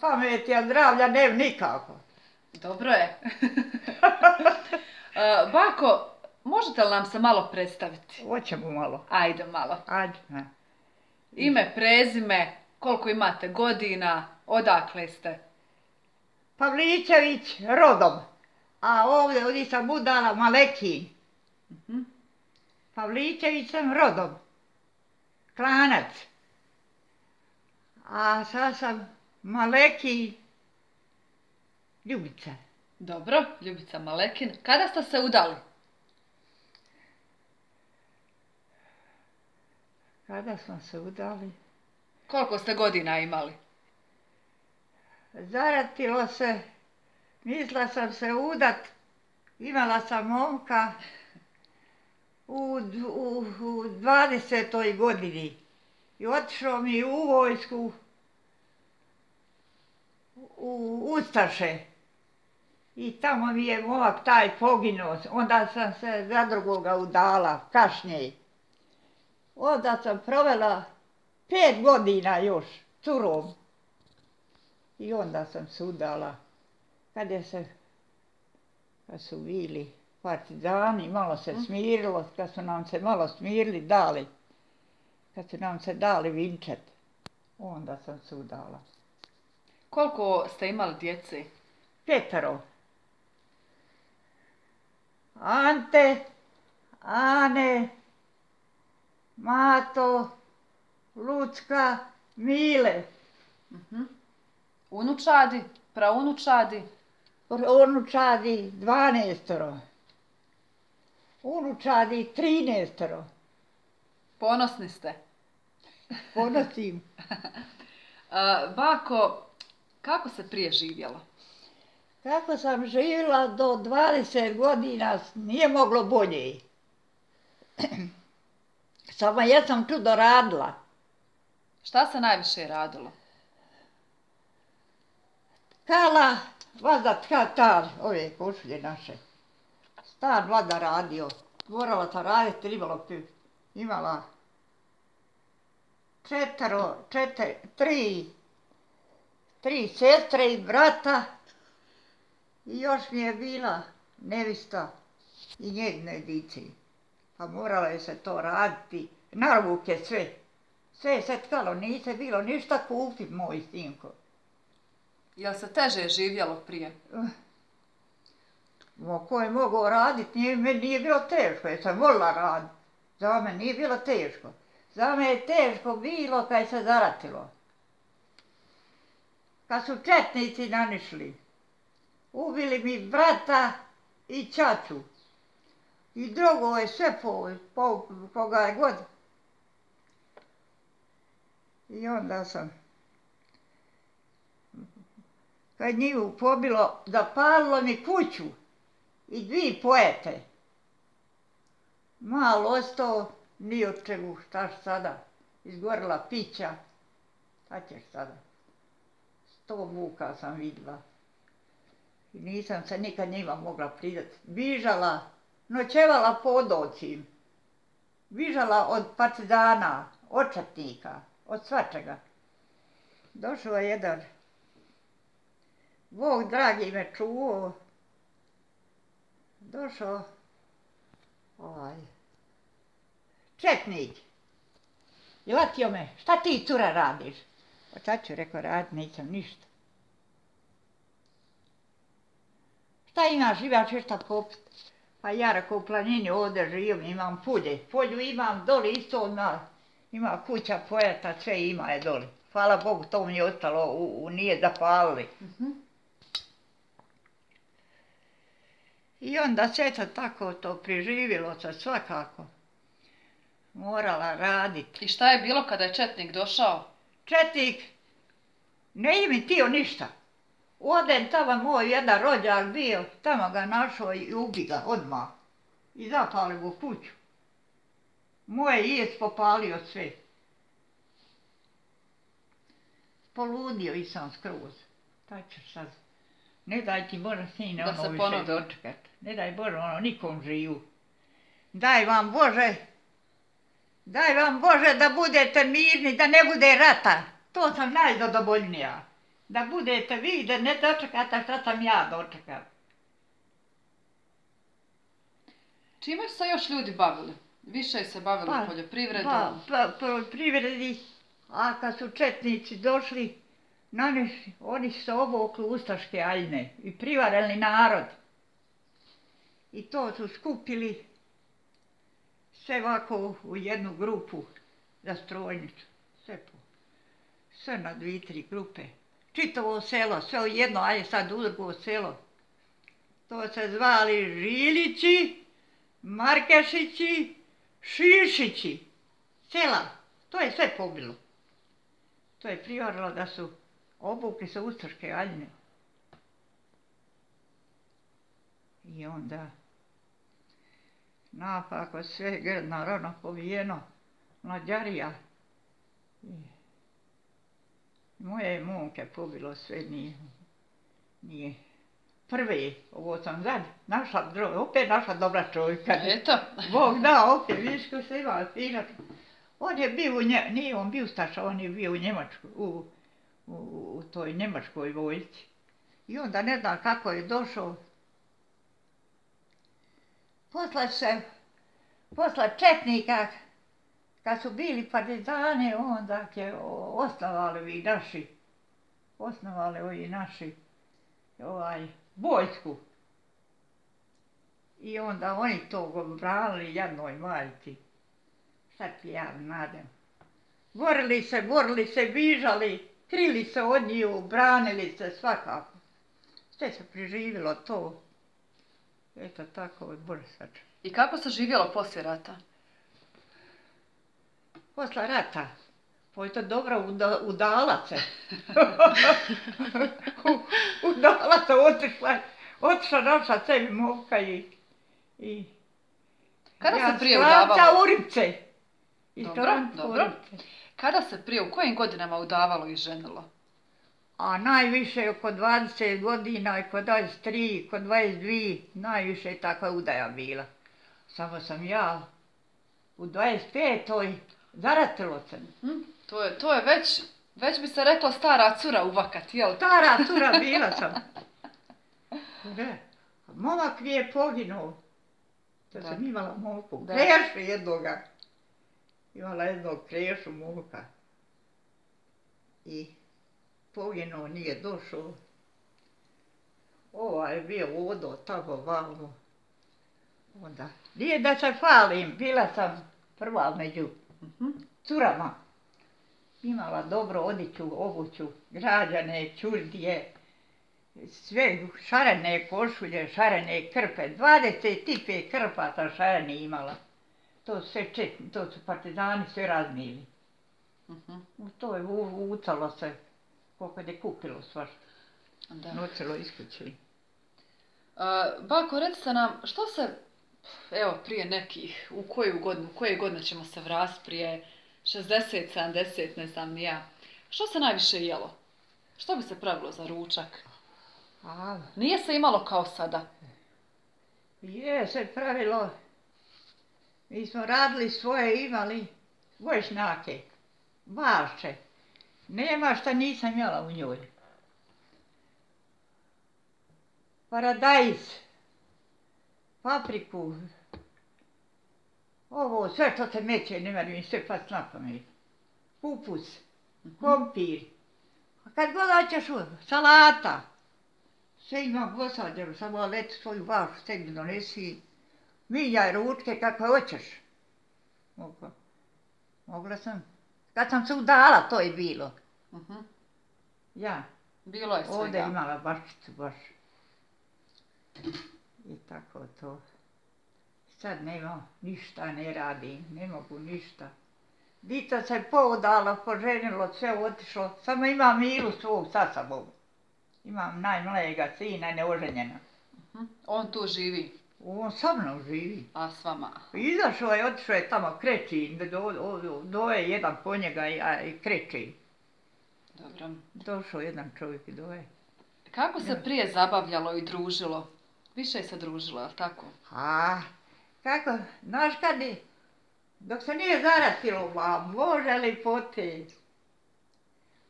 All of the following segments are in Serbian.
pameti, a zdravlja ne nikako. Dobro je. Bako, možete li nam se malo predstaviti? Hoćemo malo. Ajde malo. Ajde. Ime, prezime, koliko imate godina, odakle ste? Pavličević rodom, a ovdje sam udala Malekin. Pavličević sam rodom, Klanac. A sad sam Malekin, Ljubica. Dobro, Ljubica Malekin. Kada ste se udali? Kada smo se udali? Koliko ste godina imali? Zaratilo se, mislila sam se udat, imala sam momka u 20. godini i otišao mi u vojsku u Ustaše i tamo mi je momak taj poginuo, onda sam se za drugoga udala, kašnije. Onda sam provela 5 godina još curom. I onda sam se udala, kad su bili partizani, malo se smirilo, kad su nam se malo smirili, kad su nam se dali vinčet, onda sam se udala. Koliko ste imali djece? 5. Ante, Ane, Mato, Lucka, Mile. Unučadi, praunučadi? Unučadi 12. Unučadi 13. Ponosni ste? Ponosim. Bako, kako se prije živjelo? Kako sam živjela do 20 godina, nije moglo bolje. Samo jesam čudo radila. Šta se najviše radilo? Kala, vazat katar, ove košulje naše. Stan vlada radio. Morala sam raditi, imala 3 sestre i brata i još mi je bila nevista i njegine dice. Pa morala je se to raditi, na ruke sve. Sve je se tkalo, nije se bilo ništa kupit, moj sinko. Jel se teže živjelo prije? Ko je mogao raditi, meni nije bilo teško, jer sam volila raditi. Za me nije bilo teško. Za me je teško bilo kad se zaratilo. Kad su četnici nanišli, ubili mi brata i ćaću. I drugo je sve koga je god. I onda sam, kad njivu pobilo, zapalilo mi kuću i 2 pojete. Malo ostao, ni od čemu, šta sada, izgorila pića, šta ćeš sada. 100 muka sam vidjela i nisam se nikad njima mogla pridati. Bižala, noćevala po odocim, bižala od partizana, od četnika, od svačega. Došao je jedan, Bog dragi me čuvao, došao četnik i latio me, šta ti cura radiš? Pa šta ću, rekao, radit nisam ništa. Šta imaš, imaš šta popit? Pa ja, rekao, u planini ovdje živim, imam polje. Polju imam doli isto ima kuća pojeta, sve ima je doli. Hvala Bogu, to mi je ostalo, nije zapalili. I onda sve se tako to preživjelo se svakako. Morala raditi. I šta je bilo kada je četnik došao? Četnik ne mi tio ništa. Odem tamo moj jedan rođak bio, tamo ga našao i ubi ga odmah. I zapali mu kuću. Moje jest popalio sve. Poludio i sam skroz. Taj ćeš sad. Ne daj ti Bože, sine, ono više dočekat. Ne daj Bože, ono nikom živu. Daj vam Bože da budete mirni, da ne bude rata. To sam najzadovoljnija. da budete vi, da ne dočekate šta sam ja dočekala. Čime su se još ljudi bavili? Više se bavili poljoprivredom. Poljoprivredi, a kad su četnici došli, oni su se obukli ustaške aljne i privarali narod. I to su skupili sve ovako u jednu grupu za strojnicu. Sve na 2-3 grupe. Čitavo selo, sve u jedno, ajde sad u drugo selo. To se zvali Žilići, Markešići, Šišići. Sela, to je sve pobilo. To je privarilo da su obukli se ustaške aljne. I onda napako sve grdno rano pobijeno, mlađarija. Moje momke pobilo sve, nije. Prve, ovo sam sad opet našla dobra čovjeka. Eto. Bog da, opet, vidiš ko se ima fina. On je bio, nije on bio ustaša, on je bio u Njemačkoj, u toj njemačkoj vojsci. I onda ne znam kako je došao. Posle četnika, kad su bili partizani, onda je osnovali ovi naši vojsku. I onda oni to branili jednoj majci. Sad ti ja nadam. Borili se, bižali, krili se od njih, branili se svakako. Sve se preživjelo to. Eto tako, Bože sačuvaj. I kako se živjelo poslije rata? Posle rata, pa je to dobro udala se. Udala se, otišla naša sebi momka i Kada se prije udavalo? Sklanca Uripce. Dobro. Kada se prije, u kojim godinama udavalo i ženilo? A najviše oko 20 godina, oko 23, oko 22, najviše je takva udaja bila. Samo sam ja u 25. zaratilo se. To je već bi se rekla stara cura uvakat, jel? Stara cura bila sam. Da. Momak mi je poginuo. To sam imala momku. Krešu jednoga. Imala jednog krešu momka. I poginuo, nije došao. Ovaj je bio odo tamo vamo. Onda, nije da se falim, bila sam prva među curama. Imala dobro odjeću, obuću, građane, čurdije, sve šarene košulje, šarene krpe, 25 krpa sam šarene imala. To su partizani sve raznili. To je ucalo se, koliko je kupilo svašta. Nocelo iskući. Bako, recite nam, što se, evo prije nekih, u koje godine ćemo se vratiti, prije 60, 70, ne znam ni ja. Što se najviše jelo? Što bi se pravilo za ručak? Nije se imalo kao sada. Je se pravilo. Mi smo radili svoje, imali voćnjake, bašče. Nema šta nisam jela u njoj. Paradajz, papriku, ovo sve što se meće, nema mi sve past na pamet. Kupus, krompir, a kad god hoćeš salata, sve imam posađeno, samo leti svoju vašu sebi donesi, miljaj ručke kako hoćeš. Mogla sam. Kad sam se udala, to je bilo. Ja. Bilo je svega. Ovdje imala baščicu baš. I tako to. Sad nema, ništa ne radim, ne mogu ništa. Dita se poudala, poženilo, sve otišlo. Samo imam Milu svog sa sobom. Imam najmlađega sina, neoženjena. On tu živi? On sa mnom živi. A s vama? Izašao je, otišao je tamo Krećin, doje jedan po njega i Krećin. Dobro. Došao jedan čovjek i doje. Kako se prije zabavljalo i družilo? Više se družilo, je li tako? Kako, znaš kad dok se nije zaratilo, može li pote?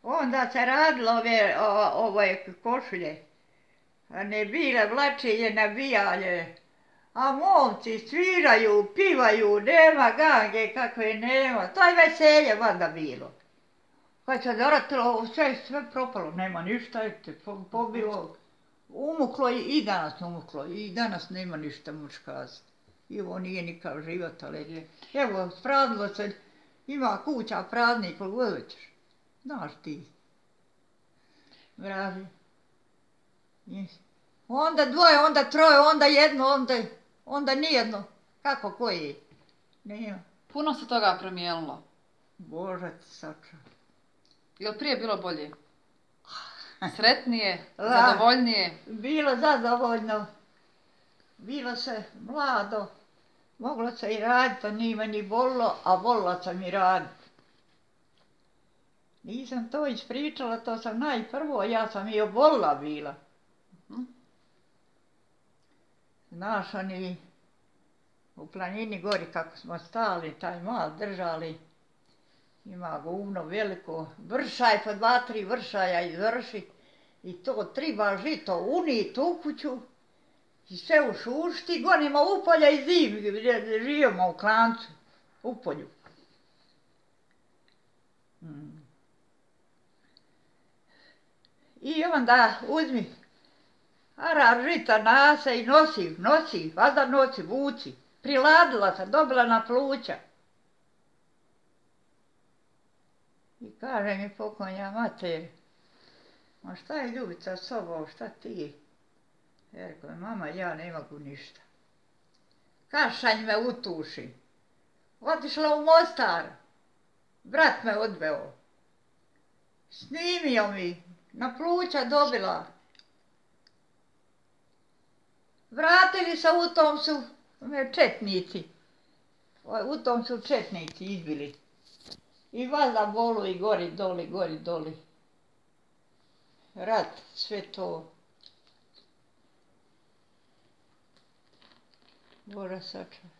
Onda se radilo ove košulje. A ne bile vlačenje, nabijanje. A momci sviraju, pivaju, nema gange kakve nema. To je veselje vada bilo. Kad se doratilo, sve propalo, nema ništa, pobilo. Umuklo i danas umuklo. I danas nema ništa muškarstva. I ovo nije nikakav život, ali evo, spravilo se, ima kuća praznih, koliko god hoćeš. Znaš ti. Vraži. Onda dvoje, onda troje, onda jedno, onda nijedno. Kako koji? Nema. Puno se toga promijenilo. Bože ti sačuvaj. Jel prije bilo bolje? Sretnije, zadovoljnije? Bilo zadovoljno. Bilo se mlado. Moglo se i raditi, a nije meni volilo, a volila sam i raditi. Nisam to ispričala, to sam najprvo, ja sam i obolila bila. Znaš, oni u planini gori kako smo stali, taj mal držali, ima govno veliko, vršaj po 2-3 vršaja izvrši i to triba žito unit u kuću i sve ušušti, gonimo u polja i zim, živimo u klancu, u polju. I onda uzmi arar žita nase i nosi, valjda nosi, vuci. Priladila sam, dobila na pluća. I kaže mi pokojna mater, ma šta je Ljubica s sobom, šta ti? Ja rekao, mama, ja ne mogu ništa. Kašanj me utuši. Otišla u Mostar. Brat me odveo. Snimio mi, na pluća dobila. Vratili se, u tom su četnici. U tom su četnici izbili. I valjda bolu i gori doli. Rat, sve to. Bože sačuvaj.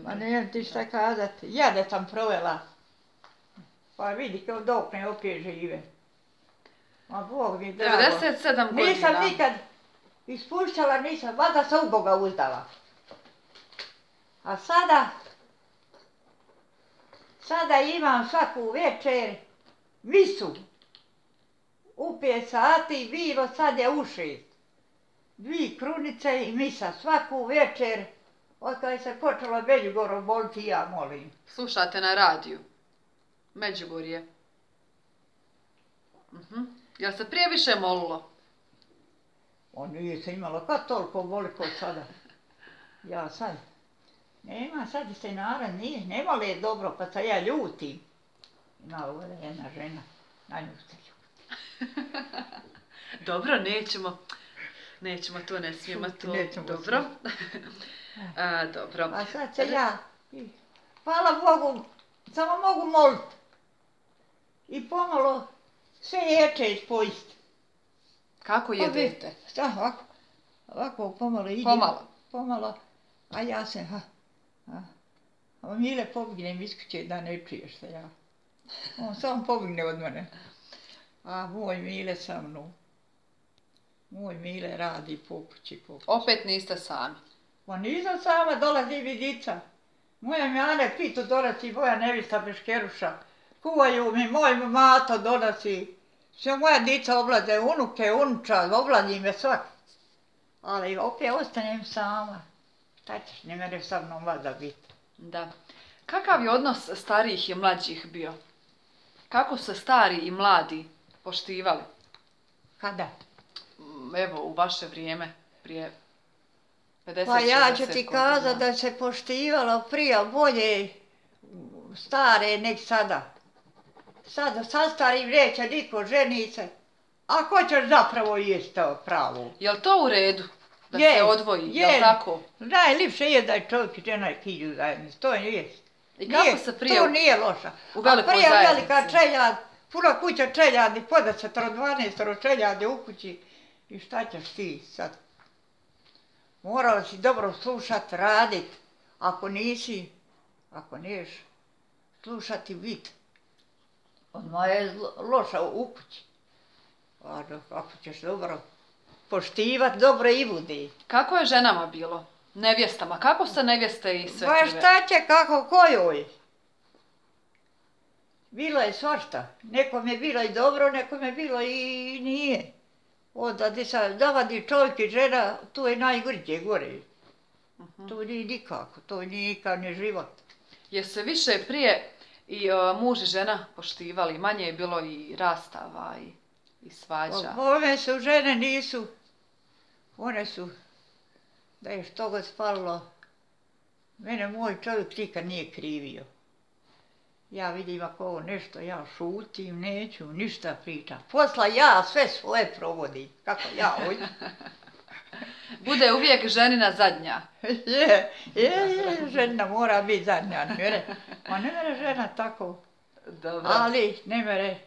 Ma nemam ti šta kazati. Jade sam provela. Pa vidi kao dok ne opet žive. Ma Bog mi drago. 97 godina. Nisam nikad ispuštala, nisam, valjda se u Boga uzdala. A sada imam svaku večer misu. U 5 sati bilo, sad je u 6. 2 krunice i misa svaku večer. Od kada se počela Međugorje boliti, ja molim. Slušate na radiju? Međugorje. Jel se prije više molilo? On nije se imalo kad toliko boli kod sada. Ja sad. Nema, sad se narod nije, ne moli je dobro, pa se ja ljutim. Ima ovdje jedna žena, na nju se ljuti. Dobro, nećemo to, ne smijemo to. Dobro. Dobro. A sad se ja, hvala Bogu, samo mogu moliti. I pomalo sve ječe ispojiti. Kako jedete? Ovako pomalo idem. Pomalo. A ja se, a Mile pobignem iz kuće da ne čuješ se ja. On samo pobigne od mene. A moj Mile sa mnom. Moj Mile radi po kući. Opet niste sami? Pa nisam sama, dolazi vidica. Moja mi Ane pitu donosi, moja nevista Beškeruša. Kuvaju mi, moj mato donosi. Sve moja dica oblaze, unuke, unuča, oblazi me svak. Ali opet ostanem sama. Šta ćeš, ne mere sa mnom vada biti. Da. Kakav je odnos starijih i mlađih bio? Kako se stari i mladi poštivali? Kada? Evo, u vaše vrijeme, prije 50-60 godina. Pa ja ću ti kazati da se poštivalo prije bolje stare nek sada. Sada sa starim neće niko ženi se. A ko ćeš zapravo jesti to pravo? Jel to u redu? Da se odvoji, jel tako? Najljepše je da je čovjek i žena idu zajednici, to je. I kako se prije to nije loša. U velikoj zajednici? A prije zajednici? velika čeljad, puna kuća čeljadi, po 10-12 čeljadi u kući. I šta ćeš ti sad? Morala si dobro slušat, radit. Ako niješ, slušati vid. Odmah je loša u kući. A ako ćeš dobro poštivat, dobro i budi. Kako je ženama bilo? Nevjestama. Kako ste nevjeste i Ba svekrve? šta će, kako, kojoj? Bilo je svašta. Nekom je bilo i dobro, nekom je bilo i nije. Onda gdje se zavadi čovjek i žena, tu je najgorđe gore. To nije nikako, to nije nikak ni život. Je se više prije i muž i žena poštivali? Manje je bilo i rastava i svađa. Ove su žene nisu, one su, da je što god spalo, mene moj čovjek nikad nije krivio. Ja vidim ako ovo nešto, ja šutim, neću ništa pričam. Posla ja sve svoje provodim, kako ja hoću. Bude uvijek ženina zadnja. Žena mora biti zadnja, ma ne mere žena tako, Dobro. ali ne mere.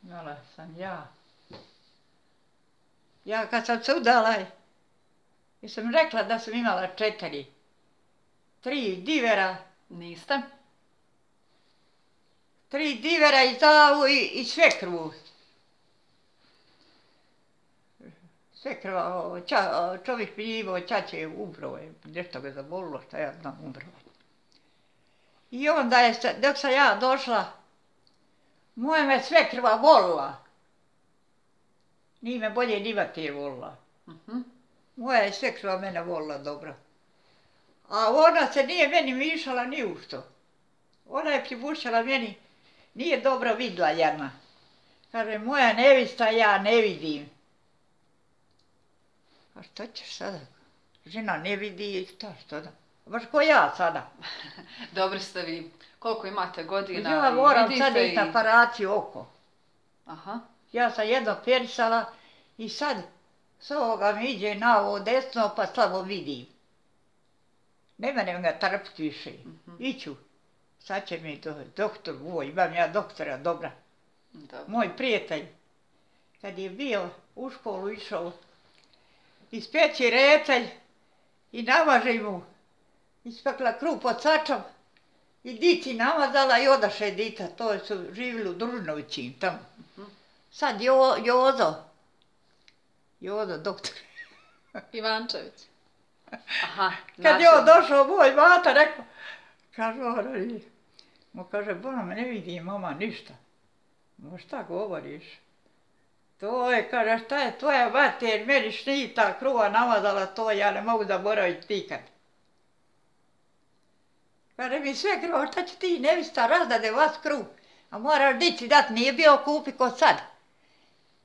Imala sam ja. Ja kad sam se udala, sam rekla da sam imala 4. 3 divera. Niste? 3 divera i zavu i svekrvu. Svekrva, čovjek mi imao ćaće, umro je, nešto ga zabolilo, šta ja znam, umro je. I onda je, dok sam ja došla, moja me svekrva volila. Nije me bolje ni mater volila. Moja je svekrva mene volila dobro. A ona se nije meni mišala ni u što. Ona je pribušala meni, nije dobro vidla jedna. Kaže, moja nevista ja ne vidim. A šta ćeš sada? Žena ne vidi i što da? Baš ko ja sada. Dobri ste vi. Koliko imate godina? Ja moram sad ići na operaciju oko. Aha. Ja sam jedno perisala i sad s ovoga mi iđe na ovo desno pa slabo vidim. Ne mene ga trpiti više. Iću. Sad će mi doktor moj, imam ja doktora dobra. Dobro. Moj prijatelj, kad je bio u školu išao, ispeći recelj i namaže mu, ispekla kruh pod sačom i dici namazala i odaše dita, to su živjeli u Družnovići tamo. Sad Jozo doktor. Ivančević. Aha. Kad je on došao, moj mata rekao, kaže on, mu kaže, Bona me ne vidi mama ništa. Ma šta govoriš? To je, kaže, šta je tvoja mater meni šnita kruha namazala, to ja ne mogu zaboraviti nikad. Kaže mi sve kruha, šta će ti nevista razdade vas kruh? A moraš dici dat, nije bio kupi ko sad.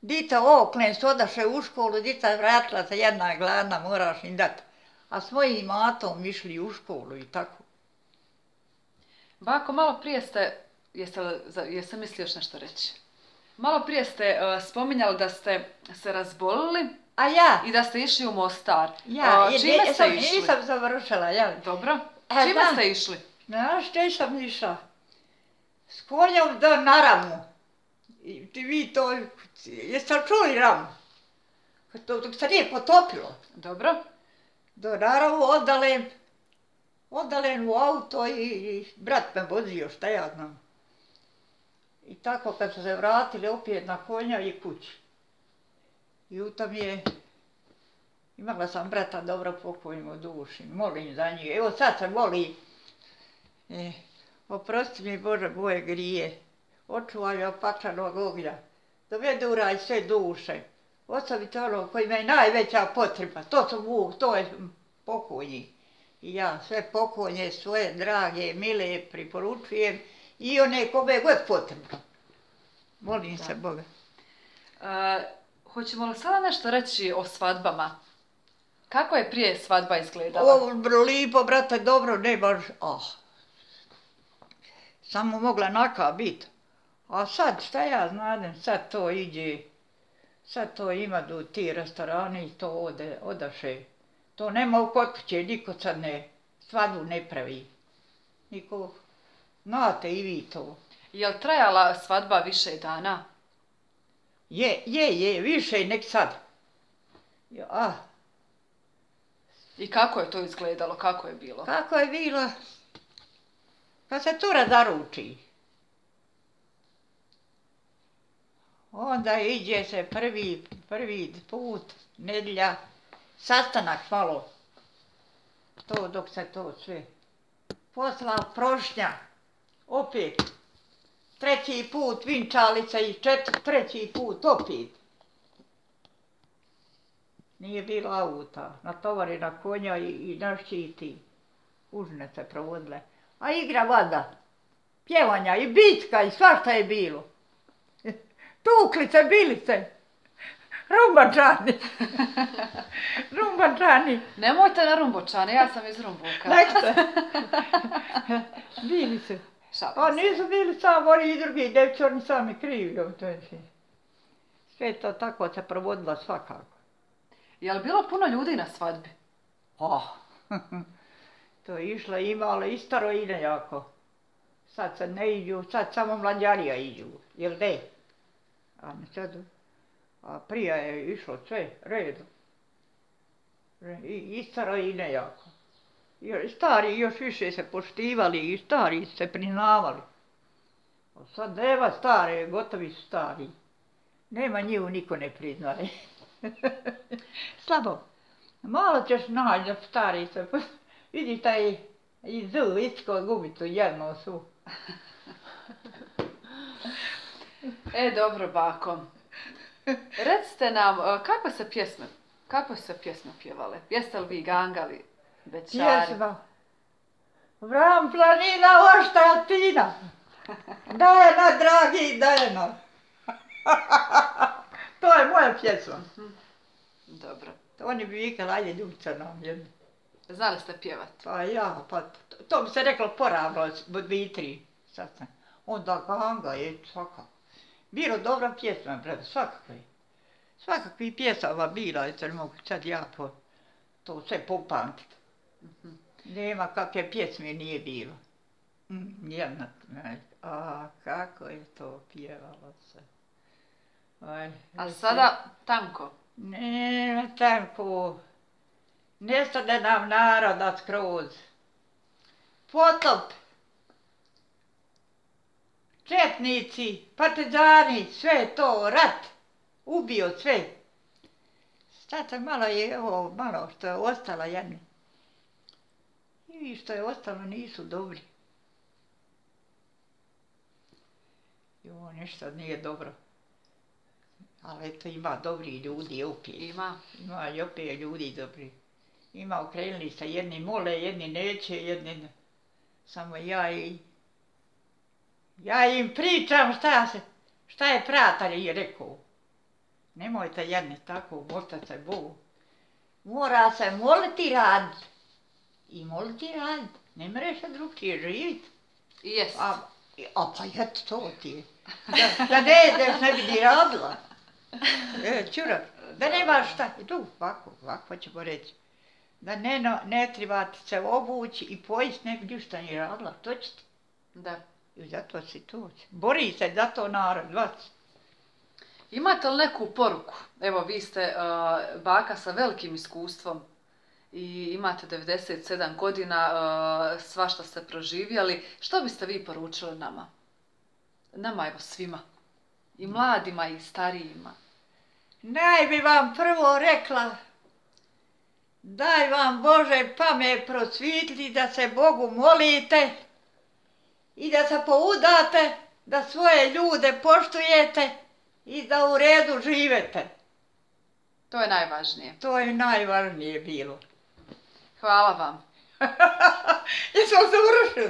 Dita oklen su odaše u školu, dita vratila se jedna gladna, moraš im dat. A s mojim matom išli u školu i tako. Bako, malo prije ste, jeste mislili još nešto reći? Malo prije ste spominjali da ste se razbolili. A ja? I da ste išli u Mostar. Ja, čime ste išli? Nisam završila, jel? Dobro. Čime ste išli? Znaš, gdje sam išla? S konjom do Naramu. Vi to, jeste li čuli Ramu? Dok se nije potopilo. Dobro. Do Naramu odalen u auto i brat me vozio, šta ja znam. I tako kad su se vratili opet na konja i kući. I u tom je, imala sam brata dobro pokojimo duši, molim za njih. Evo sad se moli, oprosti mi Bože moje grije, očuvaj me od paklenog ognja, dovede u raj sve duše, ostavite ono koji me je najveća potreba, to su Bog, to je pokojni. I ja sve pokojne svoje drage, mile priporučujem i one kome god potrebno. Molim se Boga. Hoćemo li sada nešto reći o svadbama? Kako je prije svadba izgledala? Ovo lipo, brate, dobro, ne baš, samo mogla naka biti. A sad, šta ja znam, sad to iđe, sad to ima do ti restorani i to odaše. To nema kod kuće, niko sad svadbu ne pravi. Niko, znate i vi to. Je li trajala svadba više dana? Je, više nek sad. I kako je to izgledalo, kako je bilo? Kako je bilo? Kad se cura zaruči. Onda iđe se prvi put, nedjelja, sastanak malo. To dok se to sve. Posla prošnja, opet. Treći put vinčalica i treći put opet. Nije bilo auta, natovari na konja i naščiti. Užne se provodile. A igra vada, pjevanja i bitka i svašta je bilo. Tuklice, bilice, rumbačani. Rumbačani. Nemojte na Rumbočane, ja sam iz Rumbuka. Nek se. Bili se. A nisu bili samo oni i drugi djevči, oni sami krivi. Sve to tako se provodila svakako. Je li bilo puno ljudi na svadbi? To je išla imala i staro i nejako. Sad se ne iđu, sad samo mlađarija iđu, jel de? A prije je išlo sve redom. I staro i nejako. Stari još više se poštivali i stari se priznavali. A sad nema stare, gotovi su stari. Nema njivu, niko ne priznaje. Slabo. Malo ćeš naći da stari se... Vidi taj i zu, isko gubicu jednu su. Dobro, bako. Recite nam, kakve se pjesme pjevale? Jeste li vi gangali, bećari? Pjesma. Vram planina, ošta tina. Dajena, dragi, dajena. To je moja pjesma. Dobro. Oni bi vikali, ajde Ljubica nam jednu. Znali ste pjevati? Pa to bi se reklo poravno, bitri. Onda ganga je svaka. Bilo dobra pjesma, svakakve. Svakakvi pjesama bila, ne mogu sad ja to sve popamtiti. Nema kakve pjesme nije bilo. Nijedna. Kako je to pjevalo se. A sada tanko? Ne, tanko. Nestade nam naroda skroz. Potop. Četnici, partizani, sve to, rat. Ubio sve. Sad malo je ovo, malo što je ostala jedni. I što je ostalo nisu dobri. Jo, nešto nije dobro. Ali eto ima dobri ljudi opet. Ima i opet ljudi dobri. Ima okrenuli se, jedni mole, jedni neće, jedni... Samo ja im pričam šta je pratar rekao. Nemojte jedni tako, molite se Bogu. Mora se moliti rad. I moliti rad. Ne mreš se drugčije živjeti. Jest. Pa eto to ti je. Da ne jedeš ne bi ni radila. Čurak, da nemaš šta. Tu, ovako ćemo reći. Da ne trebate se obući i pojist ne bi ništa ni radila. To ćete. Da. I zato si tu. Bori se za to narod, vas. Imate li neku poruku? Evo, vi ste baka sa velikim iskustvom i imate 97 godina, svašta ste proživjeli. Što biste vi poručili nama? Nama, evo, svima. I mladima i starijima. Naj bi vam prvo rekla, daj vam Bože pamet prosvitli da se Bogu molite i da se poudate, da svoje ljude poštujete i da u redu živete. To je najvažnije. To je najvažnije bilo. Hvala vam. Jesmo završili?